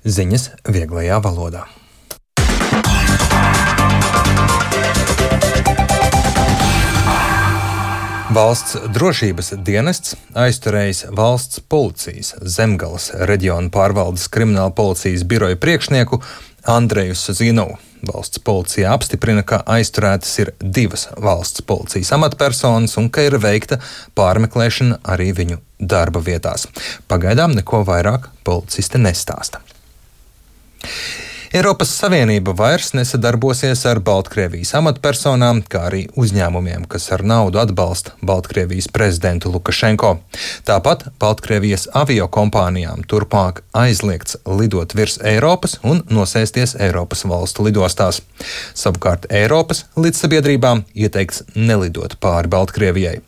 Ziņas vieglajā valodā. Valsts drošības dienests aizturējis valsts policijas Zemgales reģiona pārvaldes krimināla policijas biroja priekšnieku Andreju Zinovu. Valsts policija apstiprina, ka aizturētas ir 2 valsts policijas amatpersonas un ka ir veikta pārmeklēšana arī viņu darba vietās. Pagaidām neko vairāk policisti nestāsta. Eiropas Savienība vairs nesadarbosies ar Baltkrievijas amatpersonām, kā arī uzņēmumiem, kas ar naudu atbalsta Baltkrievijas prezidentu Lukašenko. Tāpat Baltkrievijas aviokompānijām turpmāk aizliegts lidot virs Eiropas un nosēsties Eiropas valstu lidostās. Savukārt Eiropas līdzsabiedrībām ieteikts nelidot pāri Baltkrievijai.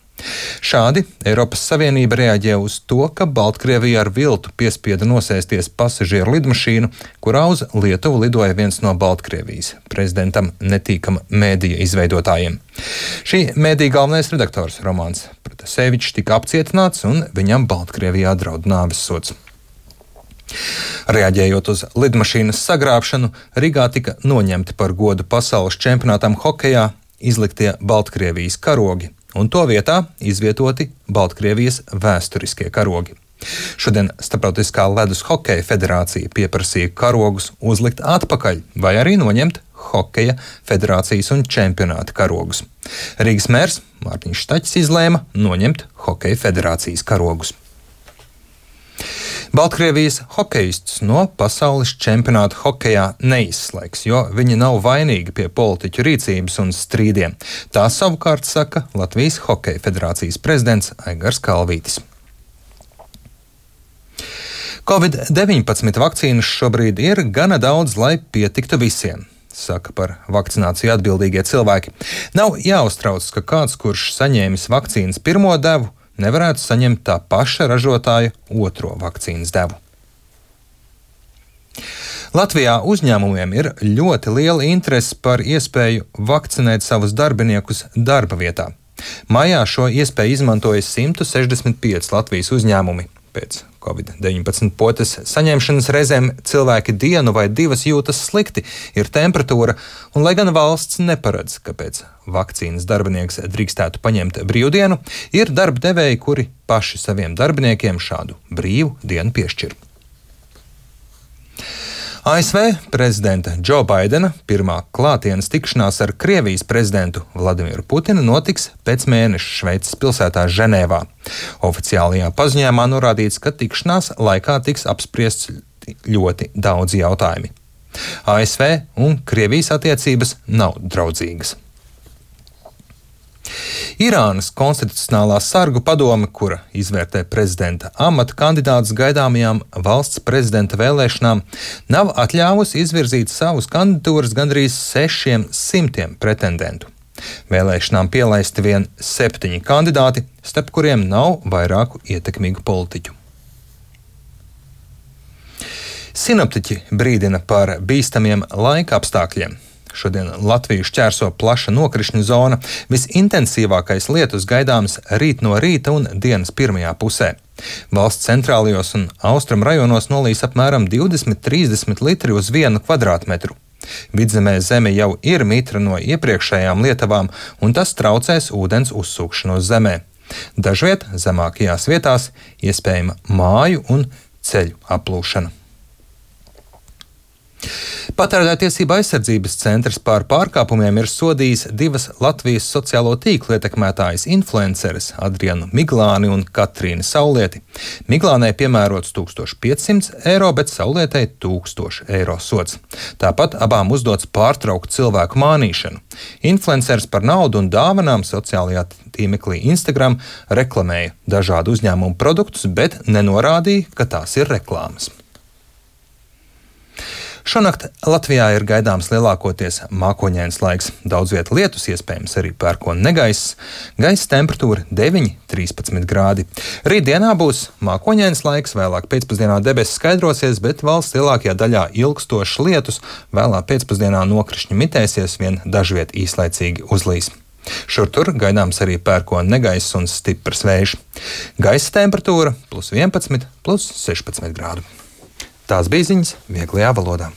Šādi Eiropas Savienība reaģē uz to, ka Baltkrievija ar viltu piespieda nosēsties pasažieru lidmašīnu, kurā uz Lietuvu lidoja viens no Baltkrievijas prezidentam netīkama mēdīja izveidotājiem. Šī mēdīja galvenais redaktors Romāns Protasevičs tika apcietināts un viņam Baltkrievijā draud nāves sods. Reaģējot uz lidmašīnas sagrābšanu, Rīgā tika noņemti par godu pasaules čempionātam hokejā izliktie Baltkrievijas karogi, un to vietā izvietoti Baltkrievijas vēsturiskie karogi. Šodien Starptautiskā ledus hokeja federācija pieprasīja karogus uzlikt atpakaļ vai arī noņemt hokeja federācijas un čempionāta karogus. Rīgas mērs Mārtiņš Štaķis izlēma noņemt hokeja federācijas karogus. Baltkrievijas hokejistus no pasaules čempionāta hokejā neizslēgs, jo viņi nav vainīgi pie politiķu rīcības un strīdiem. Tā savukārt saka Latvijas Hokeja federācijas prezidents Aigars Kalvītis. Covid-19 vakcīnas šobrīd ir gana daudz, lai pietiktu visiem, saka par vakcināciju atbildīgie cilvēki. Nav jāuztrauc, ka kāds, kurš saņēmis vakcīnas pirmo devu, nevarētu saņemt tā paša ražotāja otro vakcīnas devu. Latvijā uzņēmumiem ir ļoti liela interese par iespēju vakcinēt savus darbiniekus darba vietā. Maijā šo iespēju izmantoja 165 Latvijas uzņēmumi. Pēc Covid-19 potes saņemšanas reizēm cilvēki dienu vai 2 jūtas slikti, ir temperatūra, un lai gan valsts neparedz, ka pēc vakcīnas darbinieks drīkstētu paņemt brīvdienu, ir darba devēji, kuri paši saviem darbiniekiem šādu brīvu dienu piešķir. ASV prezidenta Džo Baidena pirmā klātienes tikšanās ar Krievijas prezidentu Vladimiru Putinu notiks pēc mēneša Šveices pilsētā Ženēvā. Oficiālajā paziņojumā norādīts, ka tikšanās laikā tiks apspriests ļoti daudz jautājumi. ASV un Krievijas attiecības nav draudzīgas. Irānas konstitucionālā sargu padome, kura izvērtē prezidenta amata kandidātus gaidāmajām valsts prezidenta vēlēšanām, nav atļāvusi izvirzīt savus kandidatūras gandrīz 600 pretendentu. Vēlēšanām pielaisti vien 7 kandidāti, starp kuriem nav vairāku ietekmīgu politiķu. Sinoptiķi brīdina par bīstamiem laika apstākļiem. Šodien Latviju šķērso plaša nokrišņu zona. Visintensīvākais lietus gaidāms rīt no rīta un dienas pirmajā pusē. Valsts centrālajos un austrumu rajonos nolīs apmēram 20–30 litri uz 1 kvadrātmetru. Vidzemē zeme jau ir mitra no iepriekšējām lietavām, un tas traucēs ūdens uzsūkšanos zemē. Dažviet zemākajās vietās iespējama māju un ceļu aplūšana. Patērētāju aizsardzības centrs par pārkāpumiem ir sodījis 2 Latvijas sociālo tīklu ietekmētājas influenceres Adrianu Miglāni un Katrīnu Saulieti. Miglānai piemērots 1500 eiro, bet Saulietei 1000 eiro sods. Tāpat abām uzdots pārtraukt cilvēku mānīšanu. Influenceris par naudu un dāvanām sociālajā tīmeklī Instagram reklamēja dažādu uzņēmumu produktus, bet nenorādīja, ka tās ir reklāmas. Šonakt Latvijā ir gaidāms lielākoties mākoņains laiks. Daudz viet lietus, iespējams arī pērkona negaiss. Gaisa temperatūra 9–13 grādi. Rītdienā būs mākoņains laiks, vēlāk pēcpusdienā debesis skaidrosies, bet valsts lielākajā daļā ilgstošs lietus. Vēlā pēcpusdienā nokrišņi mitēsies, vien dažviet īslaicīgi uzlīs. Šur tur gaidāms arī pērkona negaiss un stiprs vējš. Gaisa temperatūra +11–16 grādu. Tās bija ziņas vieglajā valodā.